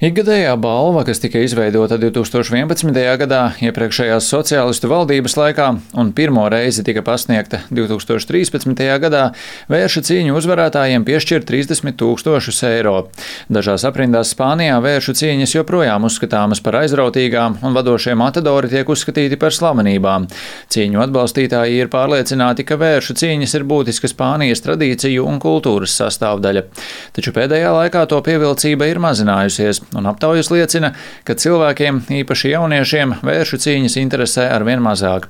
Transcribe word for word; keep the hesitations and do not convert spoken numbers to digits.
Ikgadējā balva, kas tika izveidota divs tūkstoši vienpadsmitajā gadā iepriekšējās sociālistu valdības laikā un pirmo reizi tika pasniegta divs tūkstoši trīspadsmitajā gadā, vērša cīņu uzvarētājiem piešķir trīsdesmit tūkstošus eiro. Dažās aprindās Spānijā vēršu cīņas joprojām uzskatāmas par aizrautīgām un vadošie matadori tiek uzskatīti par slavenībām. Cīņu atbalstītāji ir pārliecināti, ka vēršu cīņas ir būtiska Spānijas tradīciju un kultūras sastāvdaļa. Taču pēdējā laikā to pievilcība ir mazinājusies. Un aptaujas liecina, ka cilvēkiem, īpaši jauniešiem, vēršu cīņas interesē arvien mazāk.